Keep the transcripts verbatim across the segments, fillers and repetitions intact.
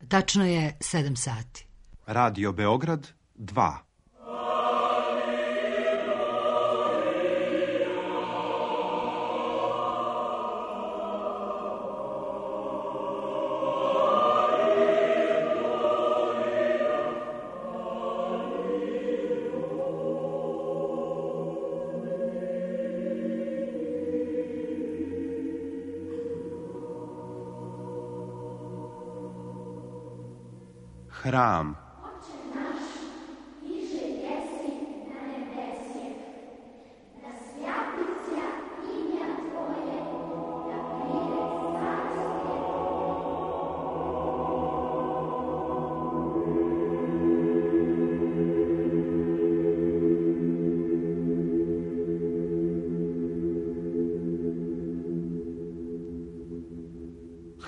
Tačno je sedam sati. Radio Beograd dva. Hram.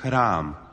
Hram.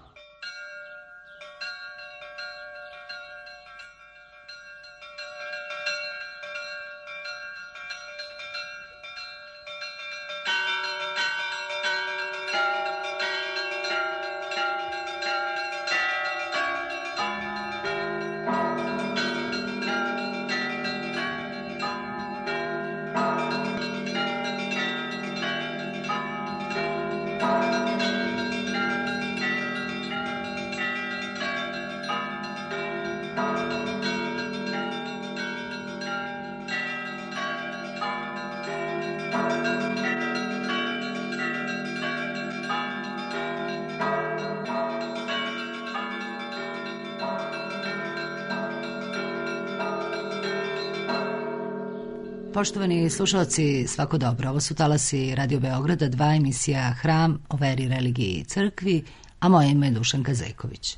Poštovani slušalci, svako dobro. Ovo su talasi Radio Beograda dva, emisija Hram o veri, religiji i crkvi, a moje ime je Dušanka Zejković.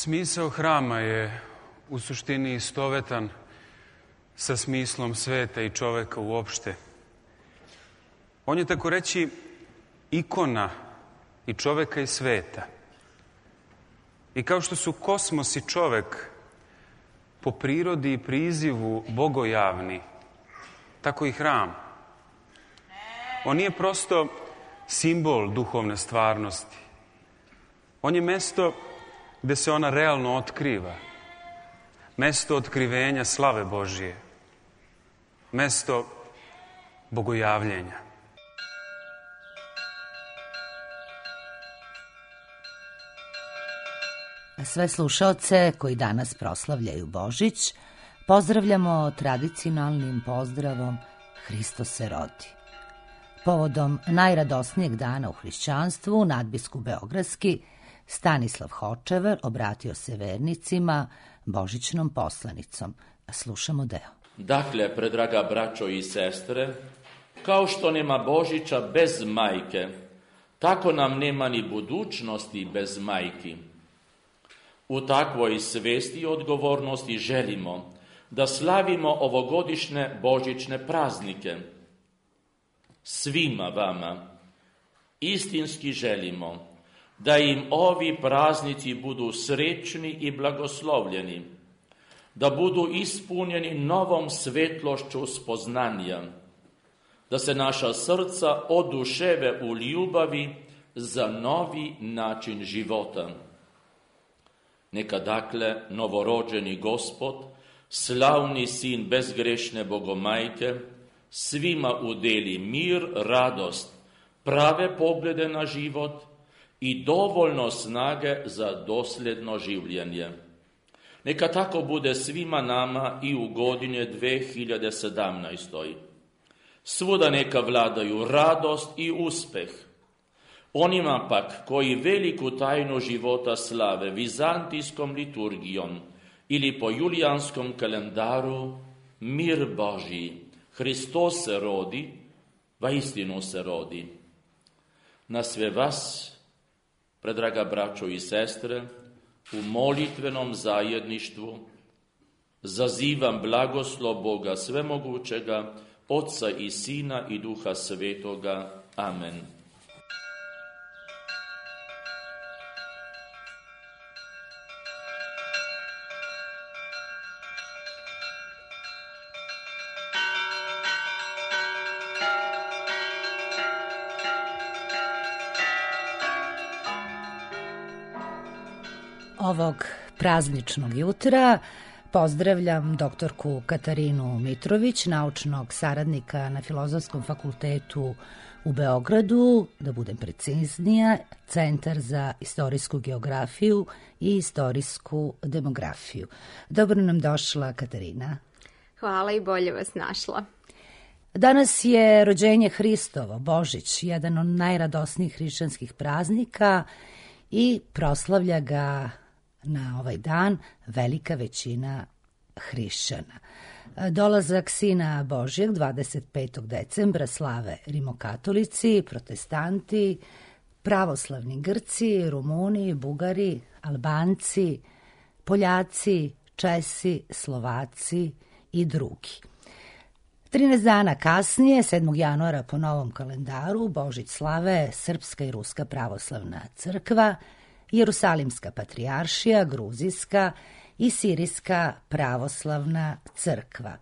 Smisao hrama je u suštini istovetan sa smislom sveta i čoveka uopšte. On je, tako reći, ikona i čoveka i sveta. I kao što su kosmos i čovek po prirodi i prizivu bogojavni, tako i hram. On nije prosto simbol duhovne stvarnosti. On je mesto gde se ona realno otkriva. Mesto otkrivenja slave Božije. Mesto bogojavljenja. Sve slušaoce koji danas proslavljaju Božić pozdravljamo tradicionalnim pozdravom Hristos se rodi. Povodom najradosnijeg dana u hrišćanstvu, nadbiskup beogradski Stanislav Hočevar obratio se vernicima božićnom poslanicom. Slušamo deo. Dakle, predraga braćo i sestre, kao što nema Božića bez majke, tako nam nema ni budućnosti bez majki. U takvoj svesti i odgovornosti želimo da slavimo ovogodišnje božićne praznike. Svima vama istinski želimo da im ovi praznici budu srećni i blagoslovljeni, da budu ispunjeni novom svetlošću spoznanja, da se naša srca oduševe u ljubavi za novi način života. Neka dakle novorođeni Gospod slavni sin bezgrešne Bogomajke, svima udeli mir, radost, prave poglede na život i dovoljno snage za dosljedno življenje. Neka tako bude svima nama i u godine dve hiljade sedamnaestoj. Svuda neka vladaju radost i uspeh. Onima pak koji veliku tajnu života slave vizantijskom liturgijom ili po julijanskom kalendaru, mir Božji, Hristos se rodi, vaistinu se rodi. Na sve vas, predraga braćo i sestre, u molitvenom zajedništvu zazivam blagoslov Boga svemogućega, Otca i Sina i Duha Svetoga. Amen. Ovog prazničnog jutra pozdravljam doktorku Katarinu Mitrović, naučnog saradnika na Filozofskom fakultetu u Beogradu, da budem preciznija, Centar za istorijsku geografiju i istorijsku demografiju. Dobro nam došla, Katarina. Hvala i bolje vas našla. Danas je rođenje Hristovo, Božić, jedan od najradosnijih hrišćanskih praznika i proslavlja ga na ovaj dan velika većina hrišćana. Dolazak Sina Božjeg dvadeset petog decembra slave rimokatolici, protestanti, pravoslavni Grci, Rumuni, Bugari, Albanci, Poljaci, Česi, Slovaci i drugi. trinaest dana kasnije, sedmog januara po novom kalendaru, Božić slave Srpska i Ruska pravoslavna crkva, Jerusalimska patrijaršija, Gruzijska i Sirijska pravoslavna crkva.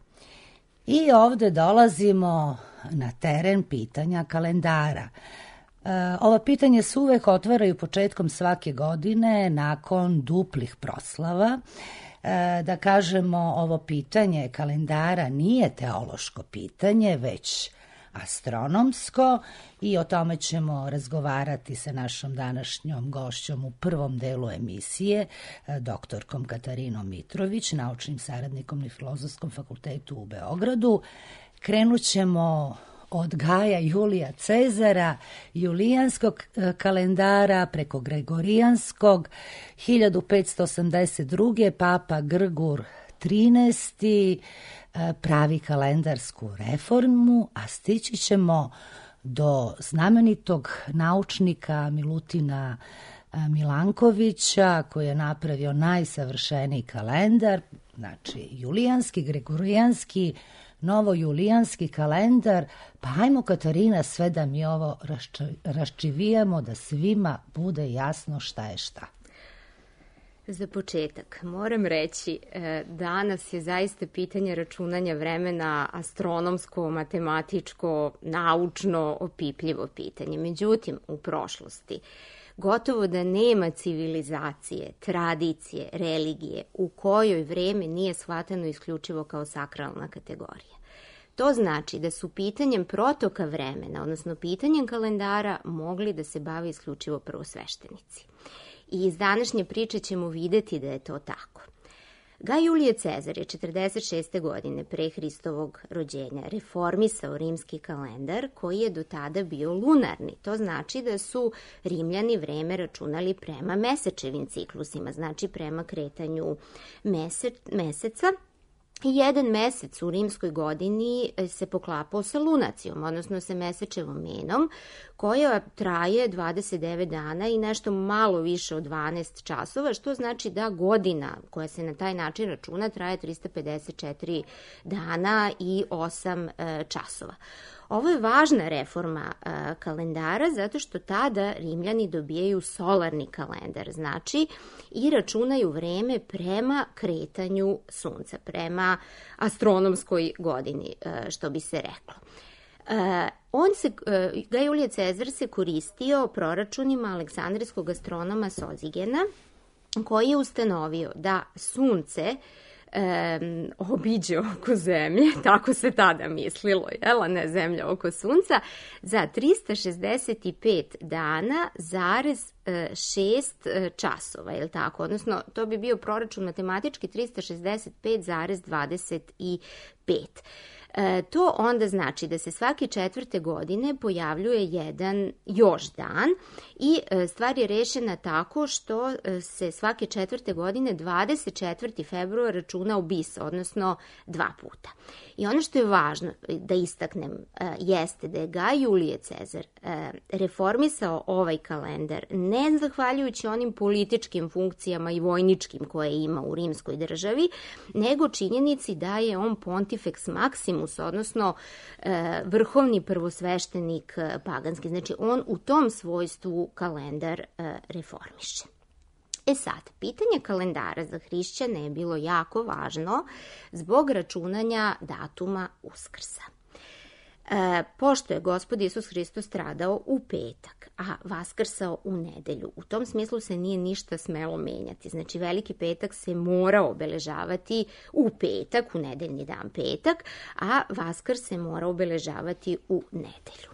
I ovde dolazimo na teren pitanja kalendara. E, ova pitanja se uvek otvaraju početkom svake godine nakon duplih proslava. E, da kažemo, ovo pitanje kalendara nije teološko pitanje, već astronomsko, i o tome ćemo razgovarati sa našom današnjom gošćom u prvom delu emisije, doktorkom Katarinom Mitrović, naučnim saradnikom na Filozofskom fakultetu u Beogradu. Krenut ćemo od Gaja Julija Cezara, julijanskog kalendara, preko gregorijanskog, hiljadu petsto osamdeset druge papa Grgur trinaesti pravi kalendarsku reformu, a stići ćemo do znamenitog naučnika Milutina Milankovića, koji je napravio najsavršeniji kalendar, znači julijanski, gregorijanski, novojulijanski kalendar. Pa hajmo, Katarina, sve da mi ovo raščivijamo, da svima bude jasno šta je šta. Za početak moram reći, danas je zaista pitanje računanja vremena astronomsko, matematičko, naučno, opipljivo pitanje. Međutim, u prošlosti gotovo da nema civilizacije, tradicije, religije u kojoj vreme nije shvatano isključivo kao sakralna kategorija. To znači da su pitanjem protoka vremena, odnosno pitanjem kalendara, mogli da se bave isključivo prvosveštenici. I iz današnje priče ćemo videti da je to tako. Gaj Julije Cezar je četrdeset šeste godine pre Hristovog rođenja reformisao rimski kalendar, koji je do tada bio lunarni. To znači da su Rimljani vreme računali prema mesečevim ciklusima, znači prema kretanju mese, meseca. I jedan mesec u rimskoj godini se poklapao sa lunacijom, odnosno sa mesečevom menom, koja traje dvadeset devet dana i nešto malo više od dvanaest časova, što znači da godina koja se na taj način računa traje trista pedeset četiri dana i osam časova. Ovo je važna reforma a, kalendara zato što tada Rimljani dobijaju solarni kalendar, znači i računaju vreme prema kretanju sunca, prema astronomskoj godini, a, što bi se reklo. A, on se, a, Gaj Julije Cezar se koristio proračunima aleksandrijskog astronoma Sozigena, koji je ustanovio da sunce e, obiđe oko zemlje, tako se tada mislilo, jel, a ne zemlja oko sunca, za trista šezdeset pet dana zarez šest časova, je li tako? Odnosno, to bi bio proračun matematički trista šezdeset pet zarez dvadeset pet. E, to onda znači da se svake četvrte godine pojavljuje jedan još dan i e, stvar je rešena tako što se svake četvrte godine dvadeset četvrtog februara računa u bis, odnosno dva puta. I ono što je važno da istaknem e, jeste da je Gaj Julije Cezar e, reformisao ovaj kalendar ne zahvaljujući onim političkim funkcijama i vojničkim koje ima u rimskoj državi, nego činjenici da je on pontifex maximus, odnosno e, vrhovni prvosveštenik e, paganski. Znači, on u tom svojstvu kalendar e, reformiše. E sad, pitanje kalendara za hrišćane je bilo jako važno zbog računanja datuma Uskrsa. E, pošto je Gospod Isus Hristos stradao u petak, a vaskrsao u nedelju, u tom smislu se nije ništa smelo menjati. Znači, Veliki petak se mora obeležavati u petak, u nedeljni dan petak, a Vaskrs se mora obeležavati u nedelju.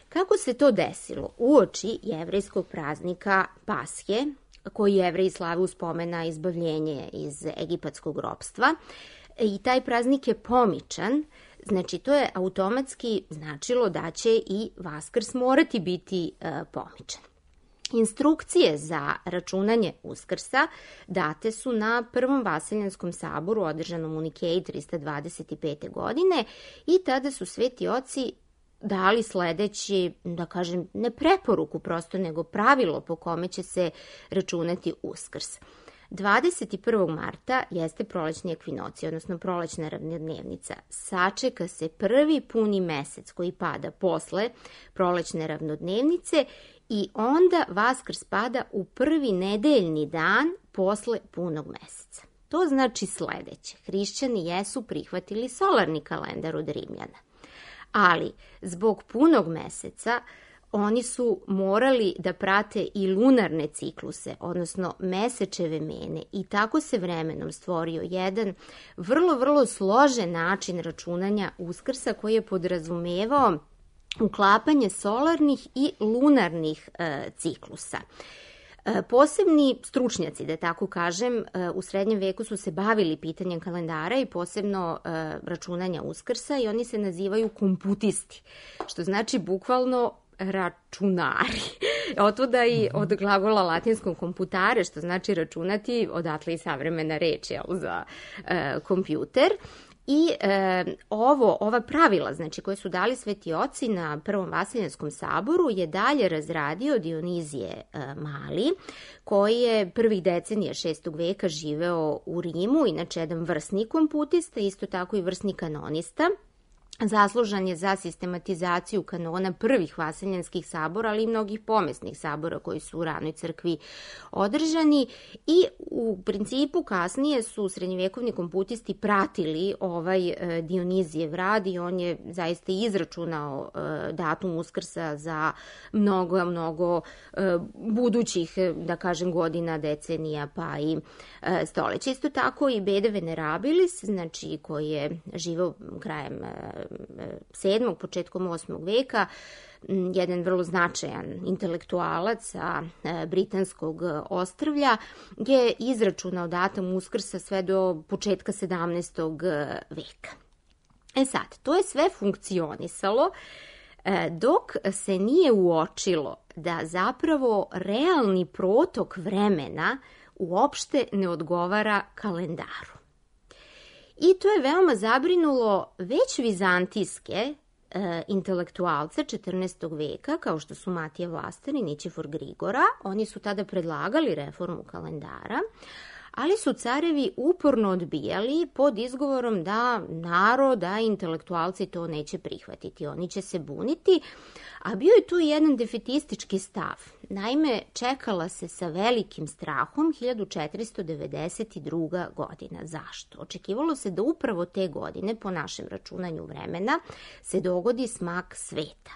Kako se to desilo? Uoči jevrejskog praznika Pashe, koji Jevreji slave u spomen na izbavljenje iz egipatskog ropstva, i taj praznik je pomičan. Znači, to je automatski značilo da će i Vaskrs morati biti e, pomičan. Instrukcije za računanje Uskrsa date su na Prvom Vaseljanskom saboru održanom u Nikeji trista dvadeset pete. godine i tada su sveti oci dali sledeći, da kažem, ne preporuku prosto, nego pravilo po kome će se računati Uskrs. dvadeset prvog marta jeste prolećni ekvinocija, odnosno prolećna ravnodnevnica. Sačeka se prvi puni mesec koji pada posle prolećne ravnodnevnice i onda Vaskrs pada u prvi nedeljni dan posle punog meseca. To znači sledeće. Hrišćani jesu prihvatili solarni kalendar od Rimljana, ali zbog punog meseca oni su morali da prate i lunarne cikluse, odnosno mesečeve mene, i tako se vremenom stvorio jedan vrlo, vrlo složen način računanja Uskrsa koji je podrazumevao uklapanje solarnih i lunarnih e, ciklusa. E, posebni stručnjaci, da tako kažem, e, u srednjem veku su se bavili pitanjem kalendara i posebno e, računanja Uskrsa i oni se nazivaju komputisti, što znači bukvalno računari. Otuda i od glagola latinskog komputare, što znači računati, odatle i savremena reč, jel, za e, kompjuter. I e, ovo, ova pravila, znači, koje su dali sveti oci na Prvom Vaseljanskom saboru, je dalje razradio Dionizije e, Mali, koji je prvih decenija šestog veka živeo u Rimu, inače jedan vrsni komputista, isto tako i vrsni kanonista. Zaslužan je za sistematizaciju kanona prvih vaseljanskih sabora, ali i mnogih pomesnih sabora koji su u ranoj crkvi održani, i u principu kasnije su srednjevekovni komputisti pratili ovaj Dionizijev rad i on je zaista izračunao datum Uskrsa za mnogo, mnogo budućih, da kažem, godina, decenija, pa i stoleća. Isto tako i Bede Venerabilis, znači, koji je živeo krajem sedmog, početkom osmog veka, jedan vrlo značajan intelektualac sa britanskog ostrvlja, je izračunao datum Uskrsa sve do početka sedamnaestog veka. E sad, to je sve funkcionisalo dok se nije uočilo da zapravo realni protok vremena uopšte ne odgovara kalendaru. I to je veoma zabrinulo već vizantijske e, intelektualce četrnaestog veka, kao što su Matija Vlastar i Nićefor Grigora. Oni su tada predlagali reformu kalendara, ali su carevi uporno odbijali pod izgovorom da narod, da intelektualci to neće prihvatiti, oni će se buniti, a bio je tu jedan defetistički stav. Naime, čekala se sa velikim strahom hiljadu četiristo devedeset druga. godina. Zašto? Očekivalo se da upravo te godine, po našem računanju vremena, se dogodi smak sveta.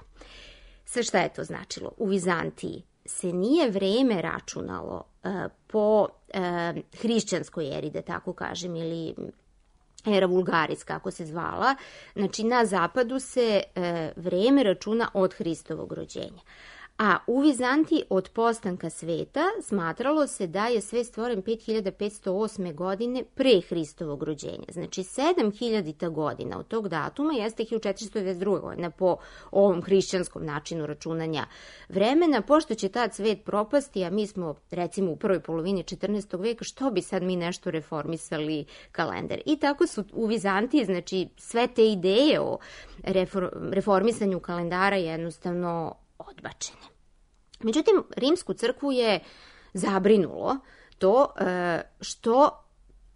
Sve šta je to značilo? U Vizantiji se nije vreme računalo uh, po e, hrišćanskoj eri, da tako kažem, ili era vulgaris, kako se zvala. Znači, na zapadu se e, vreme računa od Hristovog rođenja. A u Vizantiji od postanka sveta smatralo se da je svet stvoren pet hiljada petsto osme. godine pre Hristovog rođenja. Znači, sedam hiljadita godina od tog datuma jeste hiljadu četiristo devedeset druga. godina po ovom hrišćanskom načinu računanja vremena. Pošto će tad svet propasti, a mi smo recimo u prvoj polovini četrnaestog veka, što bi sad mi nešto reformisali kalendar? I tako su u Vizantiji, znači, sve te ideje o reformisanju kalendara jednostavno odbačene. Međutim, rimsku crkvu je zabrinulo to što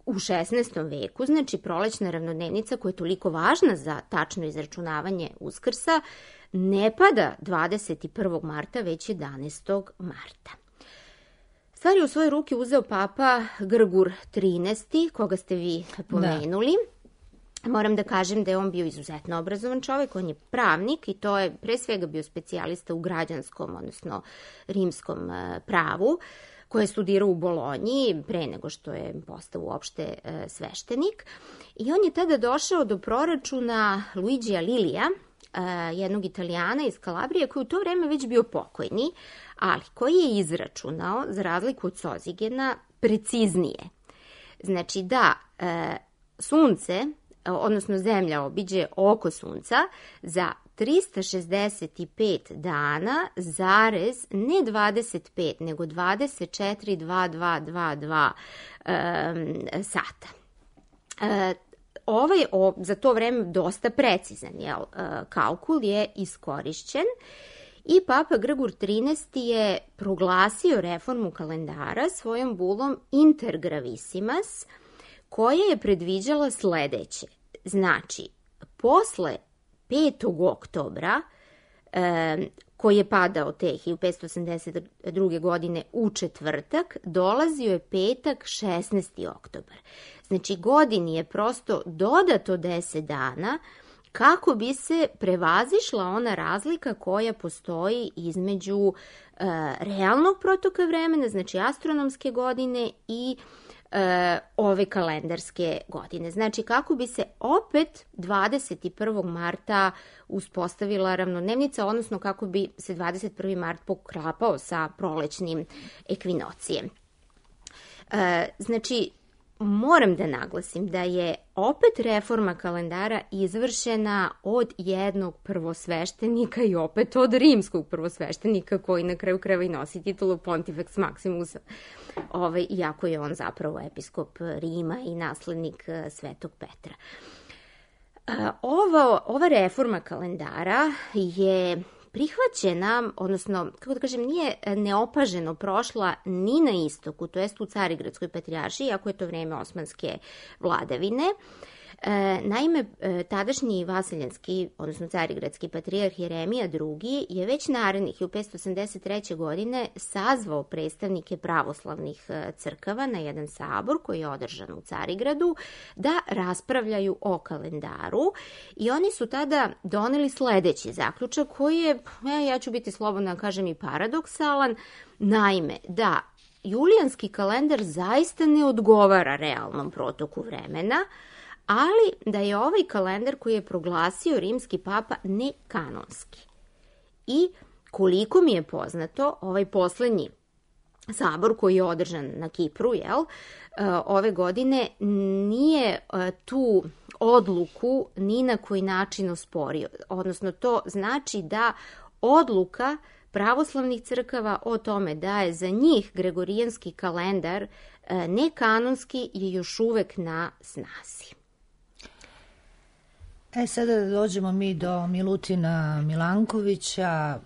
u šesnaestom veku, znači prolećna ravnodnevnica koja je toliko važna za tačno izračunavanje Uskrsa, ne pada dvadeset prvog marta, već jedanaestog marta. Stvar je u svoje ruke uzeo papa Grgur trinaesti, koga ste vi pomenuli. Da. Moram da kažem da je on bio izuzetno obrazovan čovjek, on je pravnik i to je pre svega bio specijalista u građanskom, odnosno rimskom pravu, koje je studirao u Bolonji pre nego što je postao uopšte sveštenik. I on je tada došao do proračuna Luigija Lilija, jednog Italijana iz Kalabrije, koji u to vreme već bio pokojni, ali koji je izračunao, za razliku od Sozigena, preciznije. Znači da sunce, odnosno zemlja obiđe oko sunca za trista šezdeset pet dana, zarez, ne dvadeset pet, nego dvadeset četiri zarez dvadset dva dvadeset dva um, sata. Uh, ovaj, o, za to vreme dosta precizan jel, uh, kalkul je iskorišćen i papa Grgur trinaesti. je proglasio reformu kalendara svojom bulom Intergravissimas, koja je predviđala sledeće. Znači, posle petog oktobra, e, koji je padao te hiljadu petsto osamdeset druge. godine u četvrtak, dolazio je petak šesnaesti oktobar. Znači, godini je prosto dodato deset dana kako bi se prevazišla ona razlika koja postoji između e, realnog protoka vremena, znači astronomske godine i e, ove kalendarske godine. Znači kako bi se opet dvadeset prvog marta uspostavila ravnodnevnica, odnosno kako bi se dvadeset prvi mart poklapao sa prolećnim ekvinocijem. E, znači, moram da naglasim da je opet reforma kalendara izvršena od jednog prvosveštenika i opet od rimskog prvosveštenika koji na kraju krajeva i nosi titulu Pontifex Maximus, ovaj, iako je on zapravo episkop Rima i naslednik Svetog Petra. Ova, ova reforma kalendara je prihvaćena, odnosno, kako da kažem, nije neopaženo prošla ni na istoku, to jest u Carigradskoj patrijaršiji, iako je to vreme osmanske vladavine. E, naime, tadašnji vasiljanski, odnosno carigradski patrijarh Jeremija drugi. je već narednih hiljadu petsto osamdeset treće. godine sazvao predstavnike pravoslavnih crkava na jedan sabor koji je održan u Carigradu da raspravljaju o kalendaru i oni su tada doneli sledeći zaključak koji je, ja ću biti slobodna da kažem, i paradoksalan. Naime, da julijanski kalendar zaista ne odgovara realnom protoku vremena, ali da je ovaj kalendar koji je proglasio rimski papa nekanonski. I koliko mi je poznato, ovaj poslednji sabor koji je održan na Kipru, jel, ove godine nije tu odluku ni na koji način osporio. Odnosno, to znači da odluka pravoslavnih crkava o tome da je za njih gregorijanski kalendar nekanonski je još uvek na snazi. E, sada da dođemo mi do Milutina Milankovića,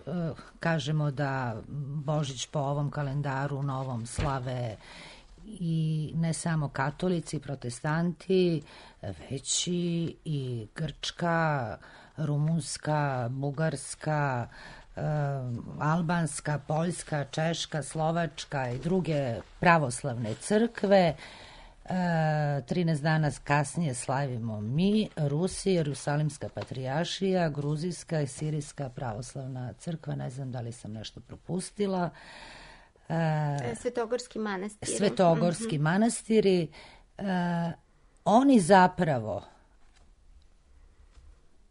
kažemo da Božić po ovom kalendaru novom slave i ne samo katolici, protestanti, već i Grčka, Rumunska, Bugarska, albanska, poljska, češka, slovačka i druge pravoslavne crkve. trinaest dana kasnije slavimo mi, Rusi, Jerusalimska patrijaršija, Gruzijska i Sirijska pravoslavna crkva, ne znam da li sam nešto propustila. E, Svetogorski manastiri. Svetogorski mm-hmm. manastiri, e, oni zapravo,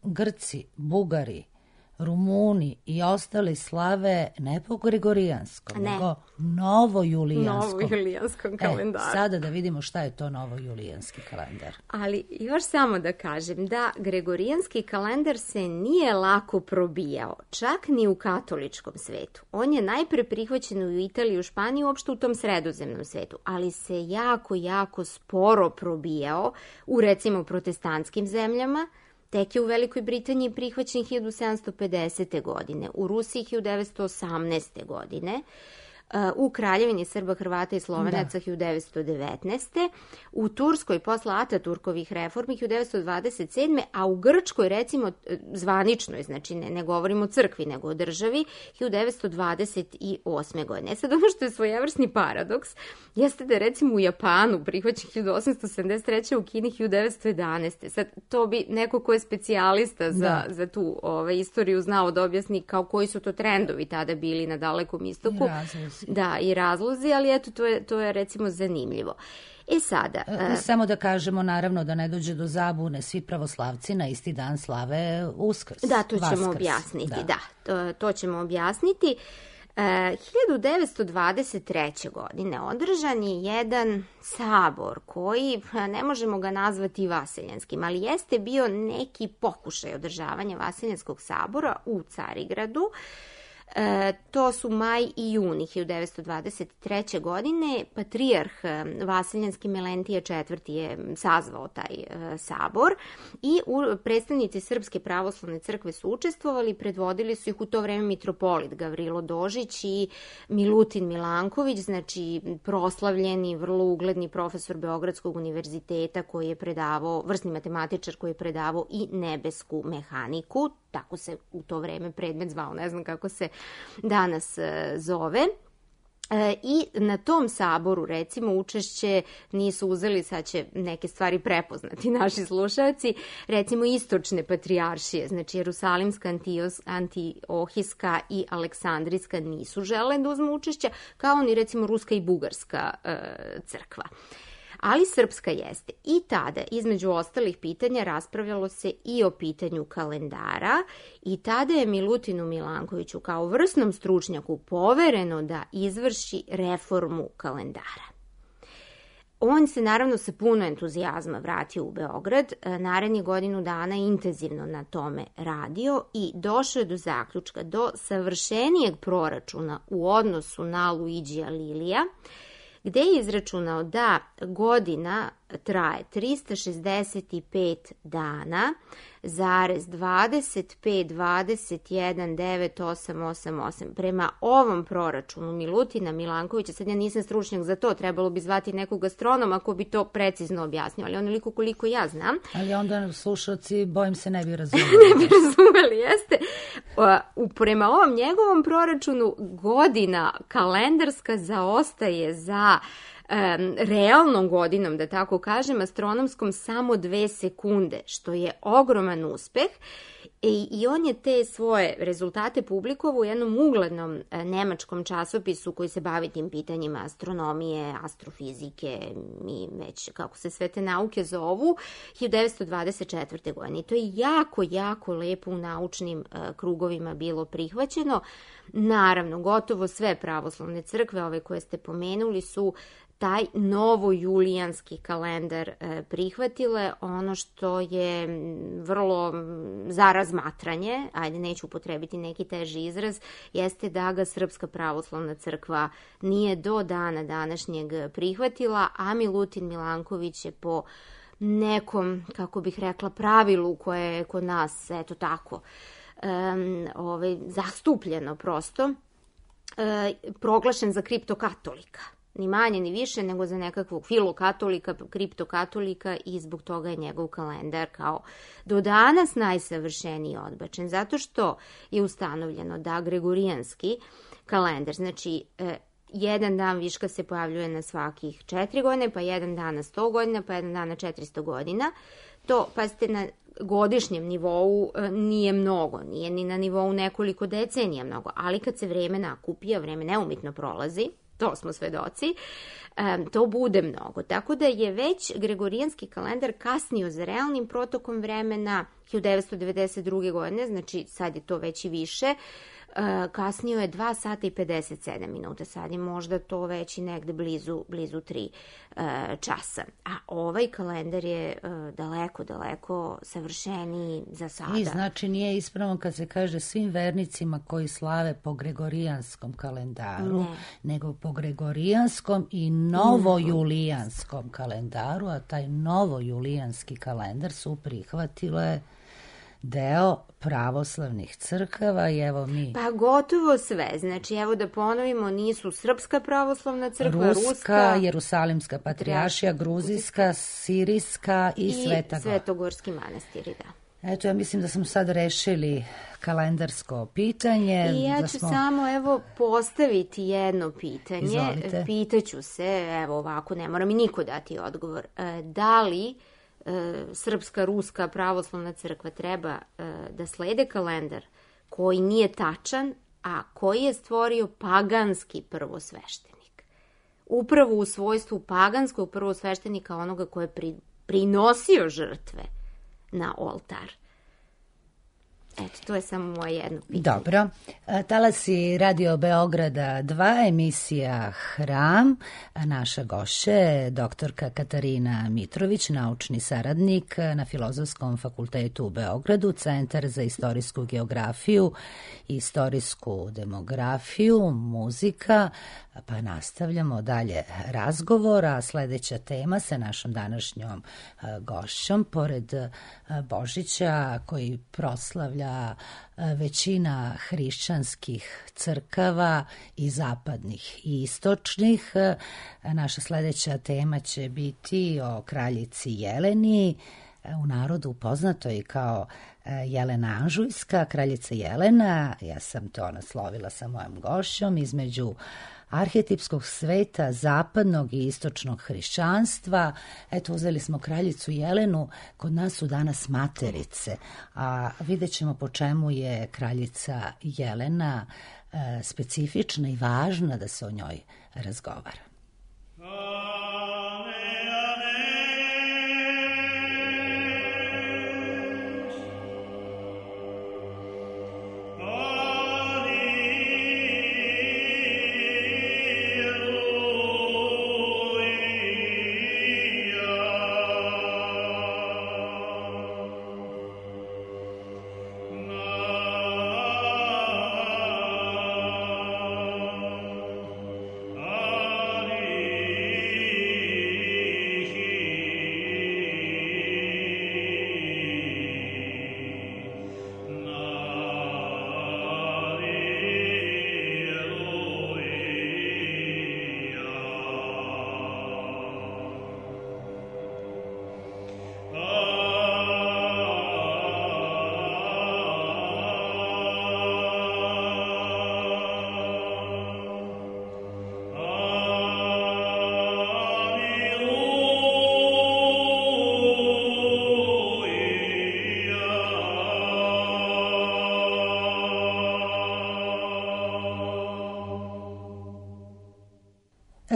Grci, Bugari, Rumuni i ostali slave ne po gregorijanskom, ne. nego novojulijanskom. Novojulijanskom kalendaru. E, sada da vidimo šta je to novojulijanski kalendar. Ali još samo da kažem da gregorijanski kalendar se nije lako probijao, čak ni u katoličkom svetu. On je najpre prihvaćen u Italiji, u Španiji, uopšte u tom sredozemnom svetu, ali se jako, jako sporo probijao u recimo protestantskim zemljama. Tek je u Velikoj Britaniji prihvaćen hiljadu sedamsto pedesete. godine, u Rusiji hiljadu devetsto osamnaeste. godine, u Kraljevini Srba, Hrvata i Slovenaca hiljadu devetsto devetnaeste. u Turskoj posle Ataturkovih reformi hiljadu devetsto dvadeset sedme. a u Grčkoj recimo zvaničnoj, znači ne, ne govorimo o crkvi nego o državi, hiljadu devetsto dvadeset osme. godine. E sad ono što je svojevrsni paradoks jeste da je recimo u Japanu prihvaćen hiljadu osamsto sedamdeset treće. u Kini hiljadu devetsto jedanaeste. Sad to bi neko ko je specijalista za, za tu ovaj, istoriju znao da objasni kao koji su to trendovi tada bili na Dalekom istoku. Da, i razlozi, ali eto, to je, to je recimo zanimljivo. E sada... E, samo da kažemo, naravno, da ne dođe do zabune, svi pravoslavci na isti dan slave Uskrs. Da, to ćemo Vaskrs. objasniti, da, da to, to ćemo objasniti. E, hiljadu devetsto dvadeset treće. godine održan je jedan sabor koji, ne možemo ga nazvati vaseljanskim, ali jeste bio neki pokušaj održavanja vaseljanskog sabora u Carigradu. E, to su maj i juni hiljadu devetsto dvadeset treće. godine. Patrijarh Vasiljanski Melentije četvrti. je sazvao taj e, sabor i u, predstavnici Srpske pravoslavne crkve su učestvovali, predvodili su ih u to vreme mitropolit Gavrilo Dožić i Milutin Milanković, znači proslavljeni, vrlo ugledni profesor Beogradskog univerziteta koji je predavao, vrsni matematičar koji je predavao i nebesku mehaniku, tako se u to vreme predmet zvao, ne znam kako se danas zove. E, I na tom saboru, recimo, učešće nisu uzeli, sad će neke stvari prepoznati naši slušalci, recimo istočne patrijaršije, znači Jerusalimska, Antios, Antiohijska i Aleksandrijska nisu žele da uzmu učešća, kao ni recimo Ruska i Bugarska e, crkva. Ali srpska jeste. I tada, između ostalih pitanja, raspravljalo se i o pitanju kalendara i tada je Milutinu Milankoviću kao vrsnom stručnjaku povereno da izvrši reformu kalendara. On se naravno sa puno entuzijazma vratio u Beograd, narednih godinu dana intenzivno na tome radio i došao je do zaključka, do savršenijeg proračuna u odnosu na Luigija Lilija, gde je izračunao da godina traje trista šezdeset pet dana, zarez dvadeset pet, dvadeset jedan, devet, osam, osam, osam. Prema ovom proračunu Milutina Milankovića, sad ja nisam stručnjak za to, trebalo bi zvati nekog astronoma ako bi to precizno objasnio, ali onoliko koliko ja znam. Ali onda slušalci, bojim se, ne bi razumeli. ne bi razumeli, jeste. U, prema ovom njegovom proračunu godina kalendarska zaostaje za Um, realnom godinom, da tako kažem, astronomskom samo dve sekunde, što je ogroman uspeh. I, i on je te svoje rezultate publikovao u jednom uglednom e, nemačkom časopisu koji se bavi tim pitanjima astronomije, astrofizike i već kako se sve te nauke zovu, hiljadu devetsto dvadeset četvrte. godine. I to je jako, jako lepo u naučnim e, krugovima bilo prihvaćeno. Naravno, gotovo sve pravoslavne crkve, ove koje ste pomenuli, su taj novojulijanski kalendar e, prihvatile. Ono što je vrlo za razmatranje, ajde neću upotrebiti neki teži izraz, jeste da ga Srpska pravoslavna crkva nije do dana današnjeg prihvatila, a Milutin Milanković je po nekom, kako bih rekla, pravilu koje je kod nas, eto tako, um, ovaj, zastupljeno prosto, e, proglašen za kriptokatolika. Ni manje ni više nego za nekakvog filokatolika, kriptokatolika, i zbog toga je njegov kalendar kao do danas najsavršeniji odbačen. Zato što je ustanovljeno da gregorijanski kalendar, znači e, jedan dan viška se pojavljuje na svakih četiri godine, pa jedan dan na sto godina, pa jedan dan na četiristo godina. To, pazite, na godišnjem nivou nije mnogo, nije ni na nivou nekoliko decenija mnogo, ali kad se vreme nakupi, a vreme neumitno prolazi, to smo svedoci, um, to bude mnogo. Tako da je već Gregorijanski kalendar kasnio za realnim protokom vremena hiljadu devetsto devedeset druge. godine, znači sad je to već i više, Uh, kasnio je dva sata i pedeset sedam minuta, sad je možda to već i negde blizu, blizu tri uh, časa. A ovaj kalendar je uh, daleko, daleko savršeniji za sada. I znači nije ispravno kad se kaže svim vernicima koji slave po Gregorijanskom kalendaru, ne. nego po Gregorijanskom i novojulijanskom kalendaru, a taj novojulijanski kalendar su prihvatile deo pravoslavnih crkava i evo mi... Pa gotovo sve. Znači, evo da ponovimo, nisu Srpska pravoslavna crkva, Ruska, Ruska Jerusalimska patrijaršija, Gruzijska, Sirijska i, i Sveta Svetogorski manastiri, da. Eto, ja mislim da smo sad rešili kalendarsko pitanje. I ja da ću smo... samo evo postaviti jedno pitanje. Izvolite. Pitaću se, evo ovako, ne mora mi niko dati odgovor. Da li Srpska, Ruska pravoslavna crkva treba da slede kalendar koji nije tačan, a koji je stvorio paganski prvosveštenik. Upravo u svojstvu paganskog prvosveštenika, onoga ko je pri, prinosio žrtve na oltar. Eto, to je samo moje jedno pitanje. Dobro. Talasi Radio Beograda dva, emisija Hram. Naša gošća je doktorka Katarina Mitrović, naučni saradnik na Filozofskom fakultetu u Beogradu, Centar za istorijsku geografiju i istorijsku demografiju, muzika. Pa nastavljamo dalje razgovora. Sledeća tema sa našom današnjom gošćom, pored Božića koji proslavlja većina hrišćanskih crkava i zapadnih i istočnih. Naša sledeća tema će biti o kraljici Jeleni, u narodu poznatoj kao Jelena Anžujska, kraljica Jelena. Ja sam to naslovila sa mojom gošćom, između arhetipskog sveta zapadnog i istočnog hrišćanstva. Eto, uzeli smo kraljicu Jelenu, kod nas su danas materice, a vidjet ćemo po čemu je kraljica Jelena e, specifična i važna da se o njoj razgovara.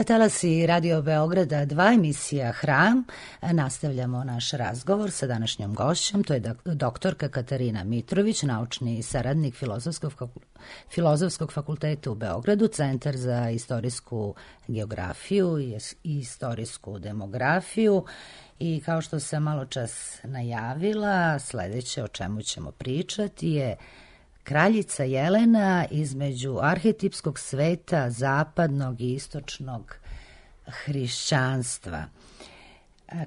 Talasi Radio Beograda dva, emisija Hram. Nastavljamo naš razgovor sa današnjom gošćom, to je doktorka Katarina Mitrović, naučni saradnik Filozofskog, Filozofskog fakulteta u Beogradu, Centar za istorijsku geografiju i istorijsku demografiju. I kao što sam malo čas najavila, sledeće o čemu ćemo pričati je kraljica Jelena između arhetipskog sveta zapadnog i istočnog hrišćanstva.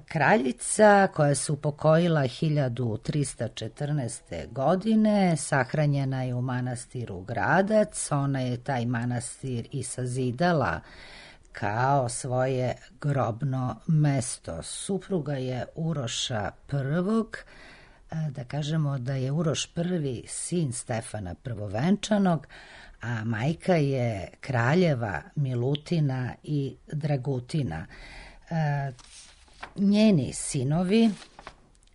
Kraljica koja se upokojila hiljadu trista četrnaeste. godine, sahranjena je u manastiru Gradac. Ona je taj manastir i sazidala kao svoje grobno mesto. Supruga je Uroša prvog. Da kažemo da je Uroš prvi sin Stefana prvovenčanog, a majka je kraljeva Milutina i Dragutina. E, njeni sinovi,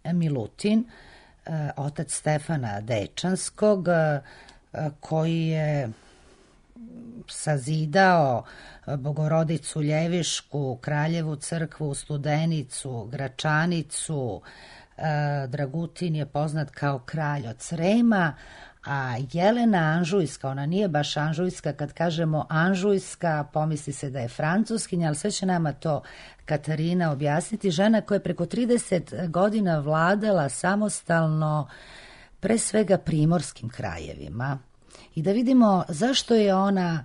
Milutin, e, otac Stefana Dečanskog, e, koji je sazidao Bogorodicu Ljevišku, Kraljevu crkvu, Studenicu, Gračanicu. Dragutin je poznat kao kralj od Srema, a Jelena Anžujska, ona nije baš Anžujska, kad kažemo Anžujska pomisli se da je francuskinja, ali sve će nama to Katarina objasniti, žena koja je preko trideset godina vladala samostalno pre svega primorskim krajevima. I da vidimo zašto je ona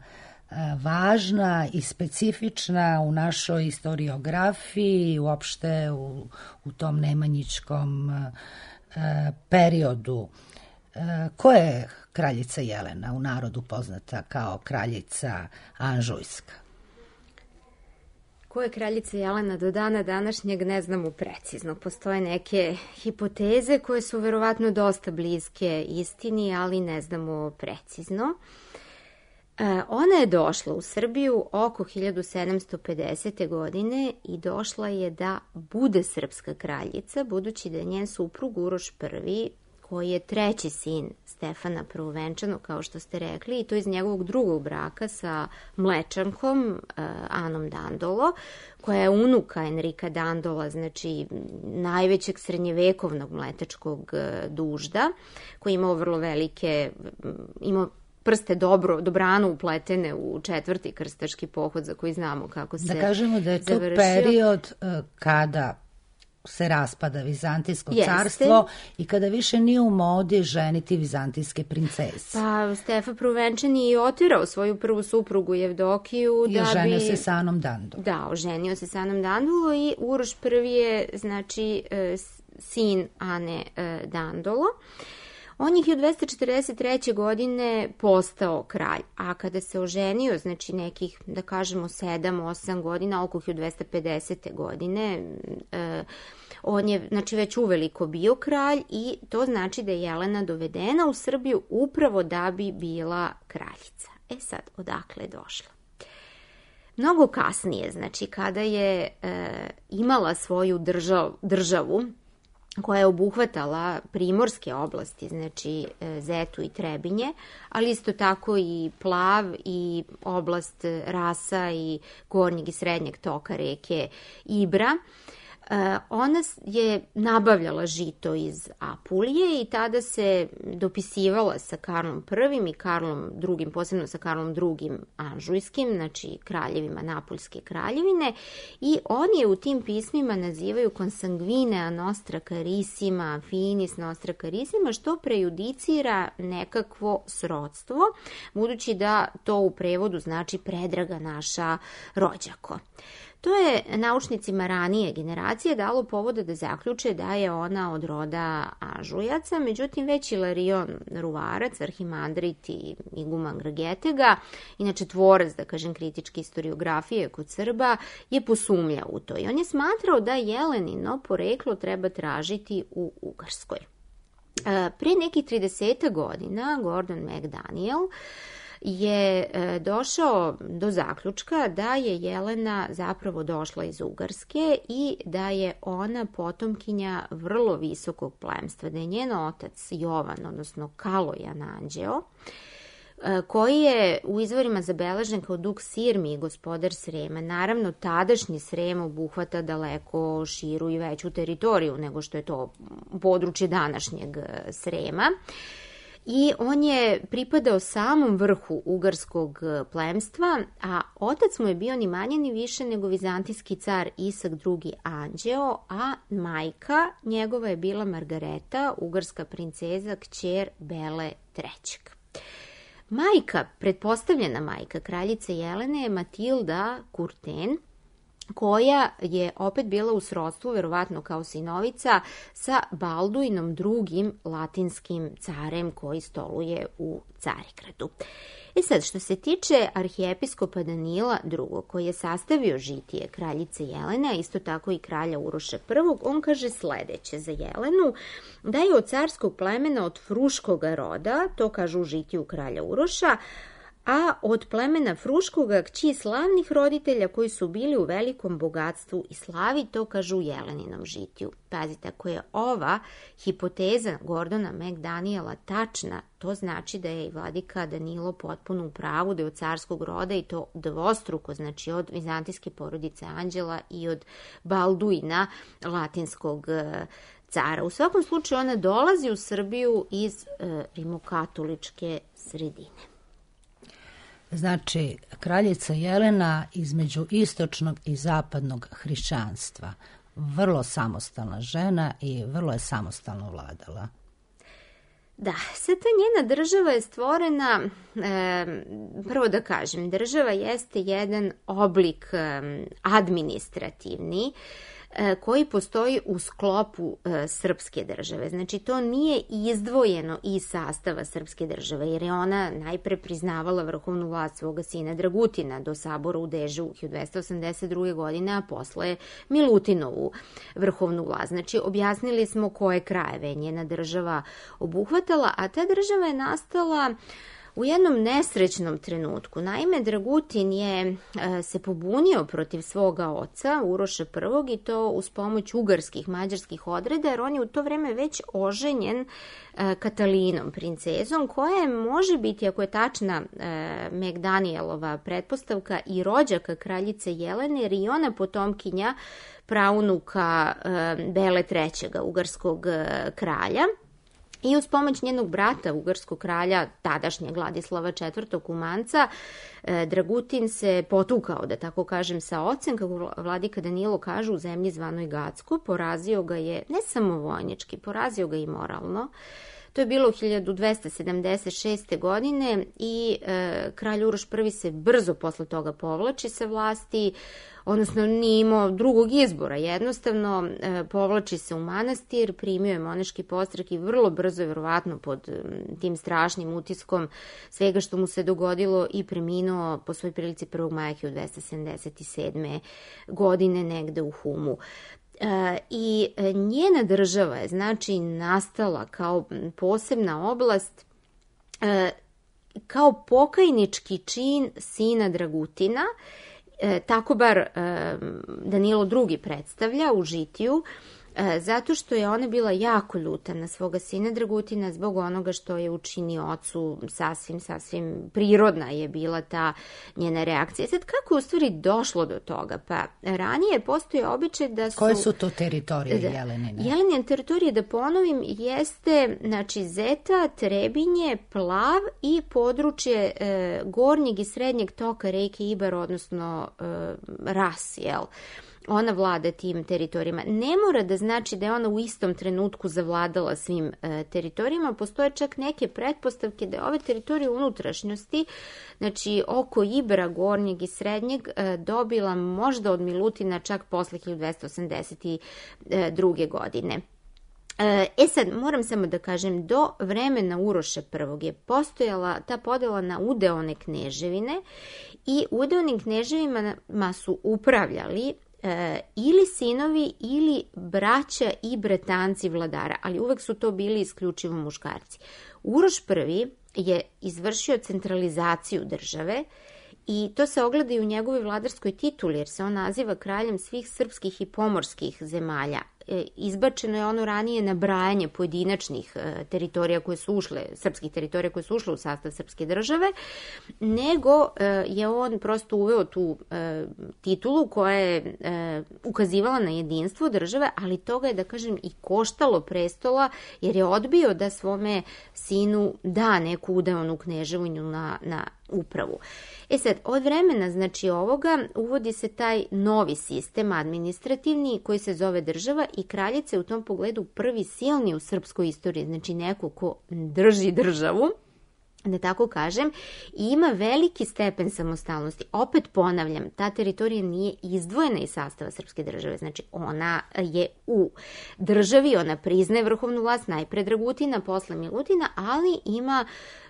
važna i specifična u našoj historiografiji, uopšte u, u tom nemanjičkom e, periodu. E, ko je kraljica Jelena, u narodu poznata kao kraljica Anžujska? Ko je kraljica Jelena do dana današnjeg ne znamo precizno. Postoje neke hipoteze koje su verovatno dosta bliske istini, ali ne znamo precizno. Ona je došla u Srbiju oko hiljadu sedamsto pedesete. godine i došla je da bude srpska kraljica, budući da je njen suprug Uroš Prvi, koji je treći sin Stefana Prvovenčanog, kao što ste rekli, i to iz njegovog drugog braka sa Mlečankom, Anom Dandolo, koja je unuka Enrika Dandola, znači najvećeg srednjevekovnog mletačkog dužda, koji je imao vrlo velike, imao prste dobro, dobrano upletene u četvrti krstaški pohod za koji znamo kako se završio. Da kažemo da je to završio. period uh, kada se raspada Vizantijsko Jeste. carstvo i kada više nije u modi ženiti vizantijske princese. Pa Stefan Prvovenčan je i otirao svoju prvu suprugu Jevdokiju. I da oženio bi... se sa Anom Dandolo. Da, oženio se sa Anom Dandolo i Uroš Prvi je, znači, sin Ane Dandolo. On je hiljadu dvesta četrdeset treće. godine postao kralj, a kada se oženio, znači nekih, da kažemo, sedam osam godina, oko hiljadu dvesta pedesete. godine, eh, on je, znači, već uveliko bio kralj i to znači da je Jelena dovedena u Srbiju upravo da bi bila kraljica. E sad, odakle je došla? Mnogo kasnije, znači, kada je eh, imala svoju držav, državu, koja je obuhvatala primorske oblasti, znači Zetu i Trebinje, ali isto tako i Plav i oblast Rasa i gornjeg i srednjeg toka reke Ibra. Ona je nabavljala žito iz Apulije i tada se dopisivala sa Karlom Prvim i Karlom Drugim, posebno sa Karlom Drugim Anžujskim, znači kraljevima Napuljske kraljevine, i oni je u tim pismima nazivaju consanguinea nostra carissima, finis nostra carissima, što prejudicira nekakvo srodstvo, budući da to u prevodu znači predraga naša rođako. To je naučnicima ranije generacije dalo povoda da zaključe da je ona od roda Anžujaca, međutim već Ilarion Ruvarac, arhimandrit i iguman Gragetega, inače tvorac, da kažem, kritičke historiografije kod Srba, je posumnjao u to. I on je smatrao da Jelenino poreklo treba tražiti u Ugarskoj. Pre nekih trideset godina Gordon McDaniel je došao do zaključka da je Jelena zapravo došla iz Ugarske i da je ona potomkinja vrlo visokog plemstva, da je njen otac Jovan, odnosno Kalojan Anđeo, koji je u izvorima zabeležen kao duk Sirmi i gospodar Srema. Naravno, tadašnji Srem obuhvata daleko širu i veću teritoriju nego što je to područje današnjeg Srema. I on je pripadao samom vrhu ugarskog plemstva, a otac mu je bio ni manje ni više nego vizantijski car Isak drugi Anđeo, a majka njegova je bila Margareta, ugarska princeza, kćer Bele trećeg. Majka, pretpostavljena majka kraljice Jelene je Matilda Kurten, koja je opet bila u srodstvu, verovatno kao sinovica, sa Balduinom drugim latinskim carem koji stoluje u Carigradu. E sad, što se tiče arhijepiskopa Danila drugog, koji je sastavio žitije kraljice Jelene, a isto tako i kralja Uroša prvog, on kaže sledeće za Jelenu, da je od carskog plemena od Fruškoga roda, to kaže u žitiju kralja Uroša, a od plemena Fruškoga kći slavnih roditelja koji su bili u velikom bogatstvu i slavi, to kažu u Jeleninom žitiju. Pazite, ako je ova hipoteza Gordona McDaniela tačna, to znači da je i vladika Danilo potpuno u pravu, da je od carskog roda i to dvostruko, znači od vizantijske porodice Anđela i od Balduina, latinskog cara. U svakom slučaju ona dolazi u Srbiju iz e, rimokatoličke sredine. Znači, kraljica Jelena između istočnog i zapadnog hrišćanstva. Vrlo samostalna žena i vrlo je samostalno vladala. Da, sad ta njena država je stvorena, e, prvo da kažem, država jeste jedan oblik e, administrativni, koji postoji u sklopu e, srpske države. Znači, to nije izdvojeno iz sastava srpske države, jer je ona najpre priznavala vrhovnu vlast svoga sina Dragutina do sabora u Dežu hiljadu dvesta osamdeset druge. godine, a posle Milutinovu vrhovnu vlast. Znači, objasnili smo koje krajeve njena država obuhvatala, a ta država je nastala u jednom nesrećnom trenutku. Naime, Dragutin je e, se pobunio protiv svoga oca, Uroša prvog, i to uz pomoć ugarskih, mađarskih odreda, jer on je u to vreme već oženjen e, Katalinom, princezom, koja je, može biti, ako je tačna e, McDanielova pretpostavka, i rođaka kraljice Jelene, jer i ona potomkinja praunuka e, Bele trećega, ugarskog e, kralja. I uz pomoć njenog brata, ugarskog kralja, tadašnjeg Vladislava četvrtog. Kumanca, Dragutin se potukao, da tako kažem, sa ocem, kako vladika Danilo kaže, u zemlji zvanoj Gacko. Porazio ga je ne samo vojnički, porazio ga i moralno. To je bilo u hiljadu dvesta sedamdeset šeste. godine i e, kralj Uroš prvi se brzo posle toga povlači sa vlasti, odnosno nije imao drugog izbora, jednostavno e, povlači se u manastir, primio je monaški podstrek i vrlo brzo, verovatno pod tim strašnim utiskom svega što mu se dogodilo, i preminuo po svoj prilici prvog maja hiljadu dvesta sedamdeset sedme. godine negde u Humu. E, I njena država je, znači, nastala kao posebna oblast, e, kao pokajnički čin sina Dragutina, e, tako bar e, Danilo drugi predstavlja u žitiju, e, zato što je ona bila jako ljuta na svoga sina Dragutina zbog onoga što je učinio ocu. Sasvim, sasvim prirodna je bila ta njena reakcija. Sad, kako je u stvari došlo do toga? Pa ranije postoji običaj da su... Koje su to teritorije da, Jelenine? Jelenine teritorije, da ponovim, jeste, znači, Zeta, Trebinje, Plav i područje e, gornjeg i srednjeg toka reke Ibar, odnosno e, Ras, jel? Ona vlada tim teritorijama. Ne mora da znači da je ona u istom trenutku zavladala svim e, teritorijama. Postoje čak neke pretpostavke da je ove teritorije unutrašnjosti, znači oko Ibra, gornjeg i srednjeg, e, dobila možda od Milutina čak posle hiljadu dvesta osamdeset druge. godine. E sad, moram samo da kažem, do vremena Uroša prvog. je postojala ta podela na udeone kneževine i udeonim kneževima su upravljali E, ili sinovi ili braća i bratanci vladara, ali uvek su to bili isključivo muškarci. Uroš prvi je izvršio centralizaciju države i to se ogleda i u njegovoj vladarskoj tituli, jer se on naziva kraljem svih srpskih i pomorskih zemalja. E, izbačeno je ono ranije nabrajanje pojedinačnih e, teritorija koje su ušle, srpskih teritorija koje su ušle u sastav srpske države, nego e, je on prosto uveo tu e, titulu koja je e, ukazivala na jedinstvo države, ali toga je, da kažem, i koštalo prestola, jer je odbio da svome sinu da neku udeonu kneževinu na, na upravu. E sad, od vremena, znači, ovoga uvodi se taj novi sistem administrativni koji se zove država i kraljica je u tom pogledu prvi silni u srpskoj istoriji, znači neko ko drži državu, da tako kažem, i ima veliki stepen samostalnosti. Opet ponavljam, ta teritorija nije izdvojena iz sastava srpske države, znači ona je u državi, ona priznaje vrhovnu vlast, najpre Dragutina, posle Milutina, ali ima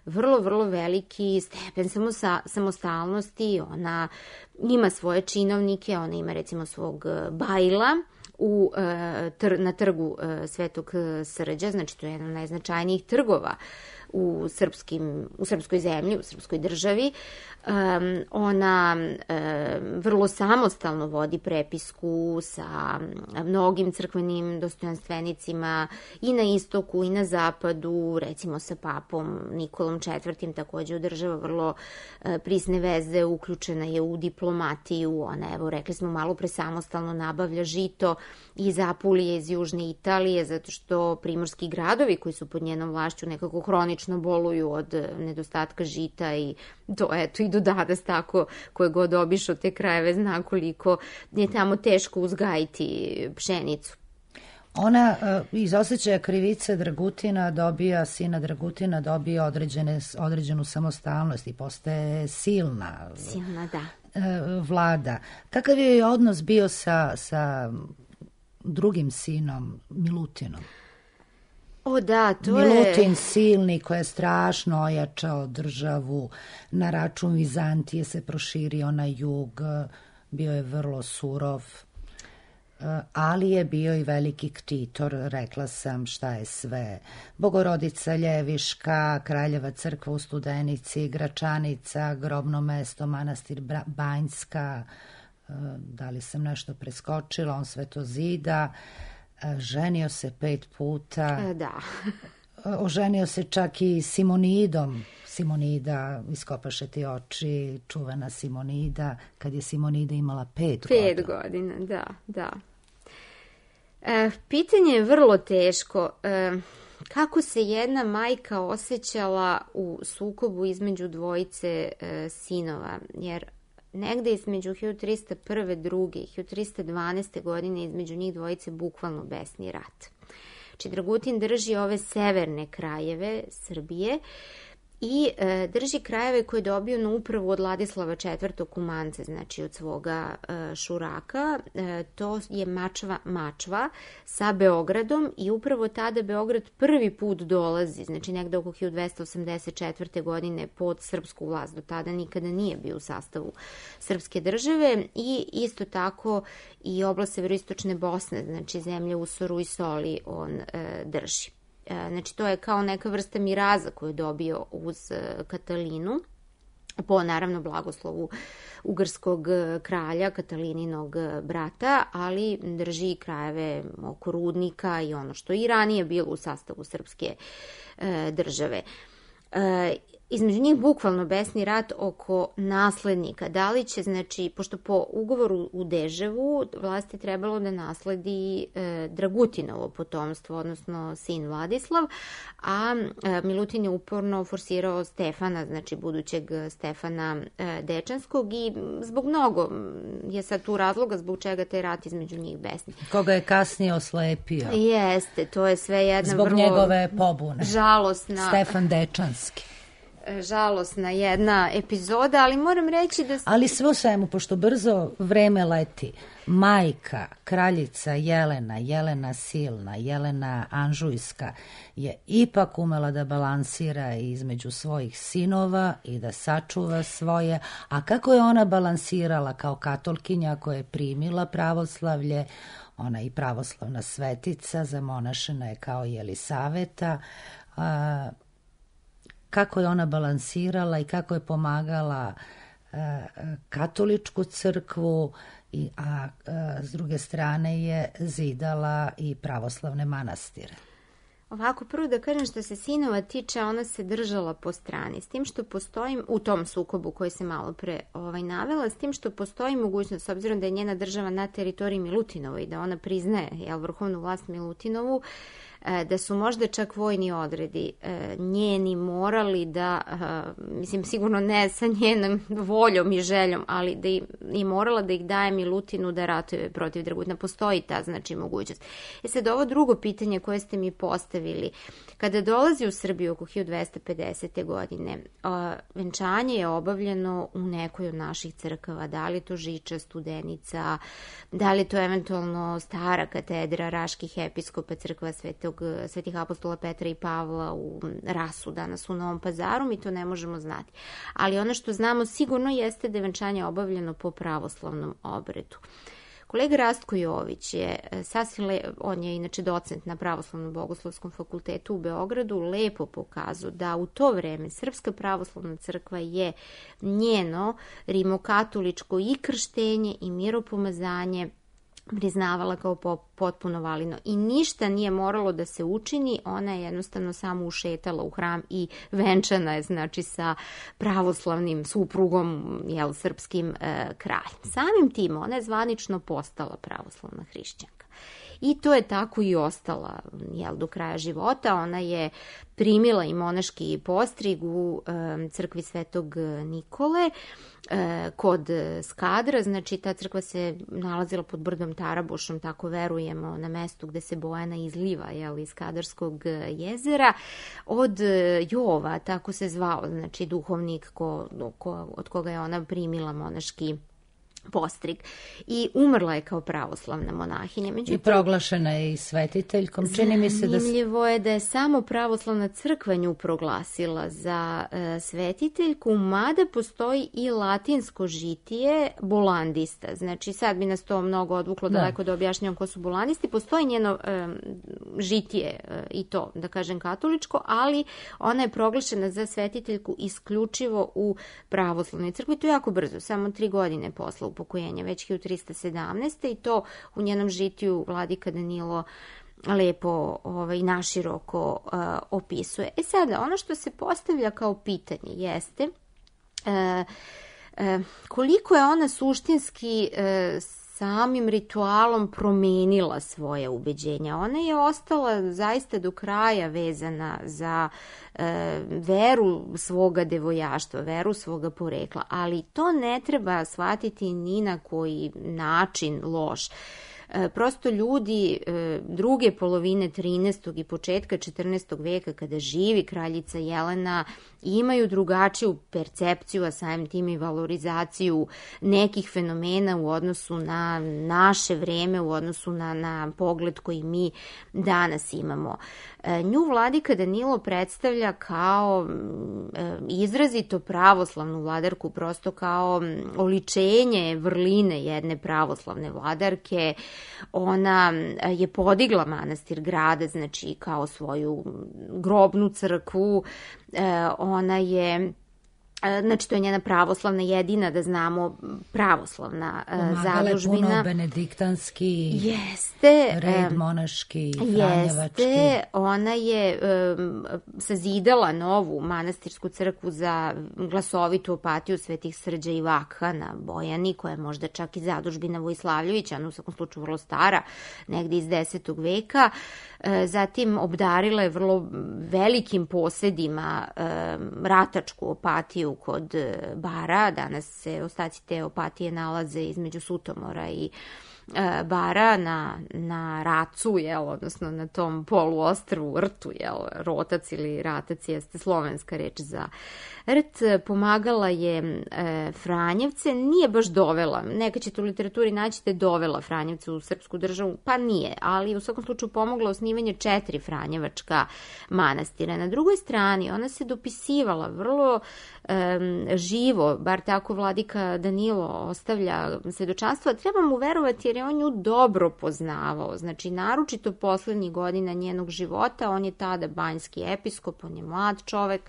vrlo, vrlo veliki stepen samostalnosti, ona ima svoje činovnike, ona ima recimo svog bajla u, na trgu Svetog Srđa, znači to je jedan od najznačajnijih trgova u, srpskim, u srpskoj zemlji, u srpskoj državi. Um, ona um, vrlo samostalno vodi prepisku sa mnogim crkvenim dostojanstvenicima i na istoku i na zapadu, recimo sa papom Nikolom četvrtim takođe održava vrlo uh, prisne veze, uključena je u diplomatiju, ona, evo, rekli smo malo pre, samostalno nabavlja žito iz Apulije, iz Južne Italije, zato što primorski gradovi koji su pod njenom vlašću nekako hronično boluju od nedostatka žita i to, eto, i do danas tako, koje god obišao te krajeve zna koliko je tamo teško uzgajiti pšenicu. Ona uh, iz osjećaja krivice Dragutina dobija, sina Dragutina dobija određene, određenu samostalnost i postaje silna, silna da. Uh, vlada. Kakav je odnos bio sa, sa drugim sinom, Milutinom? O da, to Milutin je... Milutin silni koji je strašno ojačao državu, na račun Vizantije se proširio na jug, bio je vrlo surov, ali je bio i veliki ktitor, rekla sam šta je sve. Bogorodica Ljeviška, Kraljeva crkva u Studenici, Gračanica, grobno mesto, manastir Banjska, da li sam nešto preskočila, on sve to zida. Ženio se pet puta. Da. Oženio se čak i Simonidom. Simonida, iskopaše ti oči, čuvena Simonida, kad je Simonida imala pet, pet godina. Pet godina, da, da. E, pitanje je vrlo teško. E, kako se jedna majka osjećala u sukobu između dvojice e, sinova, jer negde između hiljadu trista prve, druge i hiljadu trista dvanaeste. godine između njih dvojice bukvalno besni rat. Znači, Dragutin drži ove severne krajeve Srbije i e, drži krajeve koje je dobio na upravu od Ladislava četvrtog Kumance, znači od svoga e, šuraka. E, to je Mačva, Mačva sa Beogradom i upravo tada Beograd prvi put dolazi, znači negde oko hiljadu dvesta osamdeset četvrte. godine pod srpsku vlast. Do tada nikada nije bio u sastavu srpske države i isto tako i oblast severoistočne Bosne, znači zemlje u Soru i Soli on e, drži. Znači, to je kao neka vrsta miraza koju je dobio uz Katalinu, po naravno blagoslovu ugarskog kralja, Katalininog brata, ali drži i krajeve oko Rudnika i ono što i ranije bilo u sastavu srpske e, države. E, između njih bukvalno besni rat oko naslednika. Da li će, znači, pošto po ugovoru u Deževu vlasti trebalo da nasledi e, Dragutinovo potomstvo, odnosno sin Vladislav, a e, Milutin je uporno forsirao Stefana, znači budućeg Stefana e, Dečanskog i zbog mnogo je sad tu razloga zbog čega taj rat između njih besni. Koga je kasnije oslepio. Jeste, to je sve jedna zbog vrlo njegove pobune. Žalosna. Stefan Dečanski. Žalosna jedna epizoda, ali moram reći da... Ali sve u svemu, pošto brzo vreme leti, majka, kraljica Jelena, Jelena Silna, Jelena Anžujska je ipak umela da balansira između svojih sinova i da sačuva svoje, a kako je ona balansirala kao katolkinja koja je primila pravoslavlje, ona i pravoslavna svetica, zamonašena je kao Jelisaveta, a, kako je ona balansirala i kako je pomagala e, katoličku crkvu, i, a e, s druge strane je zidala i pravoslavne manastire. Ovako, prvo da kažem što se sinova tiče, ona se držala po strani, s tim što postoji, u tom sukobu koji se malo pre ovaj, navela, s tim što postoji mogućnost, s obzirom da je njena država na teritoriji Milutinovoj i da ona priznaje jel, vrhovnu vlast Milutinovu, da su možda čak vojni odredi njeni morali da, mislim sigurno ne sa njenom voljom i željom, ali da i morala da ih daje Milutinu da ratuje protiv Dragutina. Postoji ta znači mogućnost. E sad ovo drugo pitanje koje ste mi postavili, kada dolazi u Srbiju oko hiljadu dvesta pedesete. godine, venčanje je obavljeno u nekoj od naših crkava, da li je to Žiča, Studenica, da li je to eventualno stara katedra Raških episkopa, crkva Svetog Svetih apostola Petra i Pavla u Rasu, danas u Novom Pazaru, mi to ne možemo znati. Ali ono što znamo sigurno jeste da je venčanje obavljeno po pravoslavnom obredu. Kolega Rastko Jović je sasvim, le, on je inače docent na Pravoslavnom bogoslovskom fakultetu u Beogradu, lepo pokazao da u to vreme Srpska pravoslavna crkva je njeno rimokatoličko i krštenje i miropomazanje priznavala kao potpuno validno i ništa nije moralo da se učini, ona je jednostavno samo ušetala u hram i venčana je, znači, sa pravoslavnim suprugom, jel, srpskim e, kraljem. Samim tim ona je zvanično postala pravoslavna hrišćanka. I to je tako i ostala, jel, do kraja života. Ona je primila i monaški postrig u e, crkvi Svetog Nikole e, kod Skadra, znači ta crkva se nalazila pod brdom Tarabušom, tako verujemo, na mestu gde se Bojana izliva, jel, iz Skadarskog jezera, od Jova, tako se zvao, znači duhovnik ko, ko, od koga je ona primila monaški postrig i umrla je kao pravoslavna monahinja. Međutim, i proglašena je i svetiteljkom. Čini mi se da... Zanimljivo je da je samo pravoslavna crkva nju proglasila za e, svetiteljku, mada postoji i latinsko žitije bolandista. Znači, sad bi nas to mnogo odvuklo da. daleko da objašnjam ko su bolandisti. Postoji njeno e, žitije e, i to, da kažem, katoličko, ali ona je proglašena za svetiteljku isključivo u pravoslavnoj crkvi. To je jako brzo, samo tri godine posle upokojenja, već hiljadu trista sedamnaeste. i to u njenom žitiju vladika Danilo lepo ovaj, naširoko uh, opisuje. E sada, ono što se postavlja kao pitanje jeste uh, uh, koliko je ona suštinski uh, samim ritualom promenila svoje ubeđenja. Ona je ostala zaista do kraja vezana za e, veru svoga devojaštva, veru svoga porekla, ali to ne treba shvatiti ni na koji način loš. E, prosto ljudi e, druge polovine trinaestog i početka četrnaestog veka, kada živi kraljica Jelena, imaju drugačiju percepciju, a samim tim i valorizaciju nekih fenomena u odnosu na naše vreme, u odnosu na, na pogled koji mi danas imamo. E, nju vladika Danilo predstavlja kao e, izrazito pravoslavnu vladarku, prosto kao oličenje vrline jedne pravoslavne vladarke. Ona je podigla manastir Gradac, znači kao svoju grobnu crkvu. E, ona je, znači to je njena pravoslavna jedina, da znamo, pravoslavna pomagala zadužbina. Pomagala je puno benediktanski jeste, red monaški, franjevački. Jeste, ona je um, sazidala novu manastirsku crkvu za glasovitu opatiju Svetih Srđa i Vakha na Bojani, koja je možda čak i zadužbina Vojslavljevića, ona u svakom slučaju vrlo stara, negde iz desetog veka. Zatim obdarila je vrlo velikim posedima um, ratačku opatiju kod Bara. Danas se ostaci te opatije nalaze između Sutomora i e, Bara na, na Racu, jel, odnosno na tom poluostrvu Rtu, jel, Rotac ili Ratac jeste slovenska reč za rt. Pomagala je e, Franjevce, nije baš dovela, neka ćete u literaturi naći da je dovela Franjevce u srpsku državu, pa nije, ali u svakom slučaju pomogla osnivanje četiri franjevačka manastira. Na drugoj strani ona se dopisivala vrlo e, živo, bar tako vladika Danilo ostavlja svedočanstvo, treba mu verovati jer je on nju dobro poznavao, znači naročito poslednjih godina njenog života, on je tada banjski episkop, on je mlad čovek,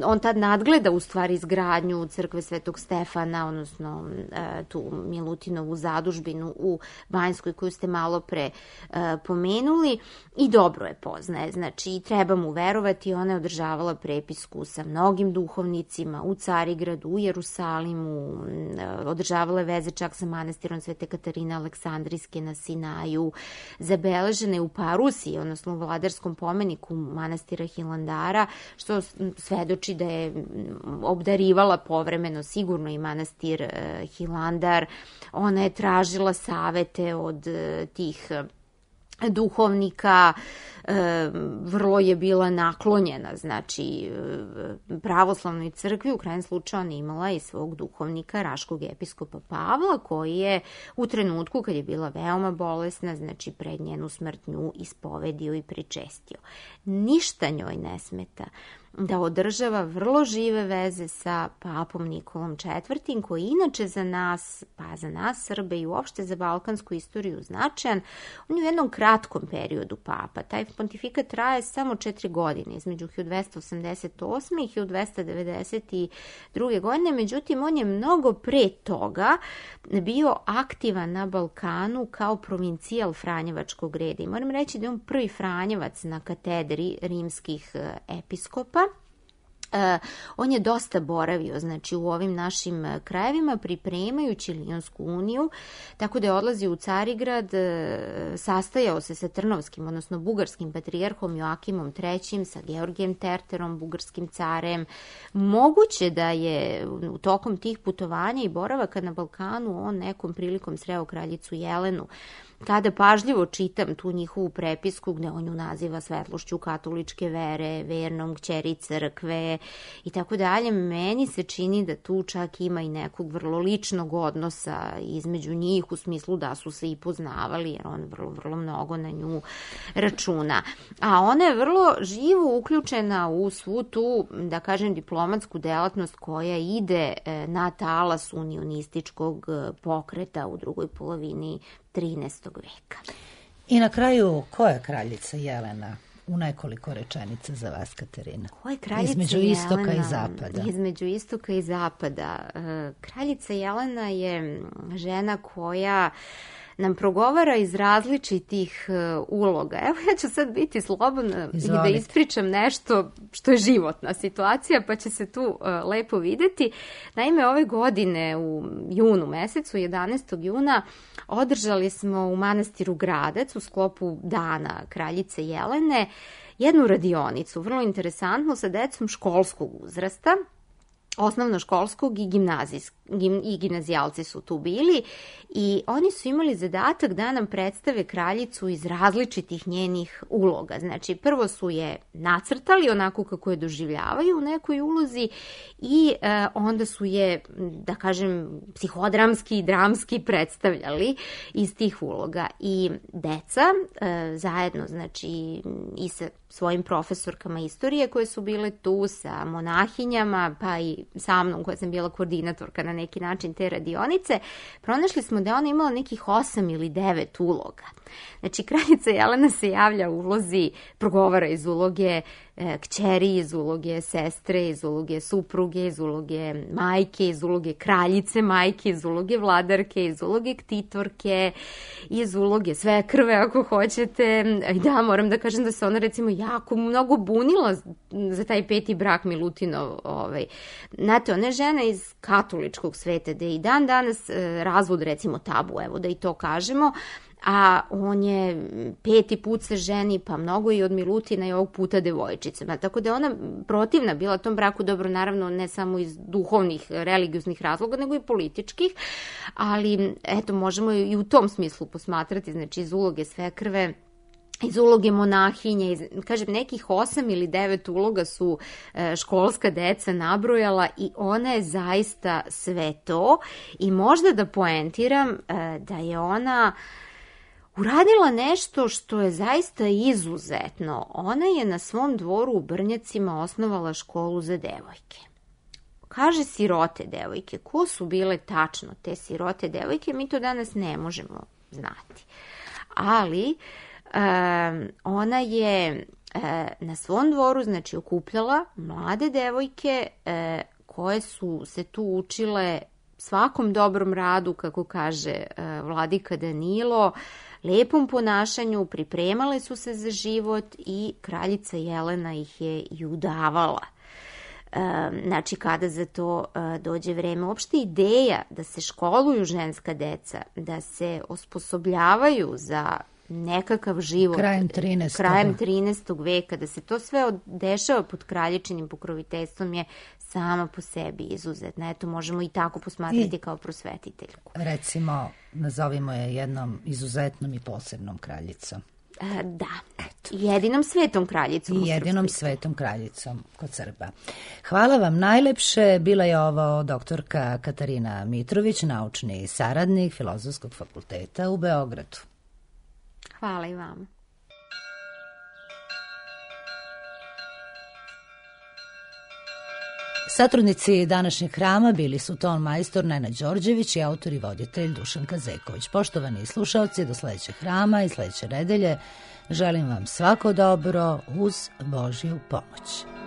on tad nadgleda u stvari izgradnju crkve Svetog Stefana, odnosno tu Milutinovu zadužbinu u Banjskoj koju ste malo pre pomenuli, i dobro je poznaje, znači treba mu verovati. Ona je održavala prepisku sa mnogim duhovnicima u Carigradu, u Jerusalimu, održavala je veze čak sa manastirom Svete Katarine Aleksandrijske na Sinaju, zabeležene u Parusiji, odnosno u vladarskom pomeniku manastira Hilandara, što svedoči da je obdarivala povremeno sigurno i manastir Hilandar. Ona je tražila savete od tih duhovnika, vrlo je bila naklonjena, znači pravoslavnoj crkvi. U krajnjem slučaju ona imala i svog duhovnika, raškog episkopa Pavla, koji je u trenutku kad je bila veoma bolesna, znači pred njenu smrt, nju ispovedio i pričestio. Ništa njoj ne smeta da održava vrlo žive veze sa papom Nikolom četvrtim, koji inače za nas, pa za nas Srbe i uopšte za balkansku istoriju značajan. On je u jednom kratkom periodu papa. Taj pontifikat traje samo četiri godine, između hiljadu dvesta osamdeset osme i hiljadu dvesta devedeset druge godine, međutim on je mnogo pre toga bio aktivan na Balkanu kao provincijal Franjevačkog reda. I moram reći da je on prvi Franjevac na katedri rimskih episkopa. Uh, on je dosta boravio, znači, u ovim našim krajevima pripremajući Lionsku uniju, tako da je odlazio u Carigrad, uh, sastajao se sa Trnovskim, odnosno bugarskim patrijarhom Joakimom trećim, sa Georgijem Terterom, bugarskim carem. Moguće da je u tokom tih putovanja i boravaka na Balkanu on nekom prilikom sreo kraljicu Jelenu. Kada pažljivo čitam tu njihovu prepisku gde on ju naziva svetlošću katoličke vere, vernom kćeri crkve i tako dalje, meni se čini da tu čak ima i nekog vrlo ličnog odnosa između njih, u smislu da su se i poznavali, jer on vrlo, vrlo mnogo na nju računa. A ona je vrlo živo uključena u svu tu, da kažem, diplomatsku delatnost koja ide na talas unionističkog pokreta u drugoj polovini trinaestog veka. I na kraju, ko je kraljica Jelena? U nekoliko rečenica za vas, Katarina. Ko je kraljica Između Jelena? istoka i zapada. Između istoka i zapada. Kraljica Jelena je žena koja nam progovara iz različitih uh, uloga. Evo, ja ću sad biti slobodna Izvolite. I da ispričam nešto što je životna situacija, pa će se tu uh, lepo videti. Naime, ove godine u junu mesecu, jedanaestog juna, održali smo u manastiru Gradac u sklopu Dana kraljice Jelene jednu radionicu, vrlo interesantnu, sa decom školskog uzrasta, osnovnoškolskog i gimnazijskog. I gimnazijalci su tu bili i oni su imali zadatak da nam predstave kraljicu iz različitih njenih uloga. Znači, prvo su je nacrtali onako kako je doživljavaju u nekoj ulozi i e, onda su je, da kažem, psihodramski i dramski predstavljali iz tih uloga. I deca e, zajedno, znači, i sa svojim profesorkama istorije koje su bile tu, sa monahinjama, pa i sa mnom koja sam bila koordinatorka na neki način te radionice, pronašli smo da ona imala nekih osam ili devet uloga. Znači, kraljica Jelena se javlja u ulozi, progovara iz uloge e, kćeri, iz uloge sestre, iz uloge supruge, iz uloge majke, iz uloge kraljice majke, iz uloge vladarke, iz uloge ktitorke, iz uloge svekrve, ako hoćete. I da, moram da kažem da se ona, recimo, jako mnogo bunila za taj peti brak Milutinov. Ovaj. Znate, ona je žena iz katoličkog sveta, da je i dan danas e, razvod, recimo, tabu, evo da i to kažemo, a on je peti put se ženi, pa mnogo i od Milutina i ovog puta devojčicama. Tako da je ona protivna bila tom braku, dobro, naravno, ne samo iz duhovnih, religioznih razloga, nego i političkih, ali eto, možemo i u tom smislu posmatrati, znači iz uloge svekrve, iz uloge monahinje, iz, kažem, nekih osam ili devet uloga su e, školska deca nabrojala i ona je zaista sve to. I možda da poentiram e, da je ona uradila nešto što je zaista izuzetno. Ona je na svom dvoru u Brnjacima osnovala školu za devojke. Kaže sirote devojke. Ko su bile tačno te sirote devojke, mi to danas ne možemo znati. Ali Um, ona je uh, na svom dvoru, znači, okupljala mlade devojke uh, koje su se tu učile svakom dobrom radu, kako kaže uh, vladika Danilo, lepom ponašanju, pripremale su se za život i kraljica Jelena ih je i udavala. Um, znači, kada za to uh, dođe vreme. Uopšte ideja da se školuju ženska deca, da se osposobljavaju za nekakav život krajem trinaestog krajem trinaestog veka, da se to sve dešava pod kraljičinim pokroviteljstvom je sama po sebi izuzetna. Eto, možemo i tako posmatrati I, kao prosvetiteljku. Recimo, nazovimo je jednom izuzetnom i posebnom kraljicom. E, da, eto. Jedinom svetom kraljicom. I jedinom svetom kraljicom kod Srba. Hvala vam najlepše. Bila je ovo doktorka Katarina Mitrović, naučni saradnik Filozofskog fakulteta u Beogradu. Hvala i vama. Satrudnici današnjeg hrama bili su ton majstor Nenad Đorđević i autor i voditelj Dušan Kazeković. Poštovani slušalci, do sledećeg hrama i sledeće nedelje želim vam svako dobro uz Božju pomoć.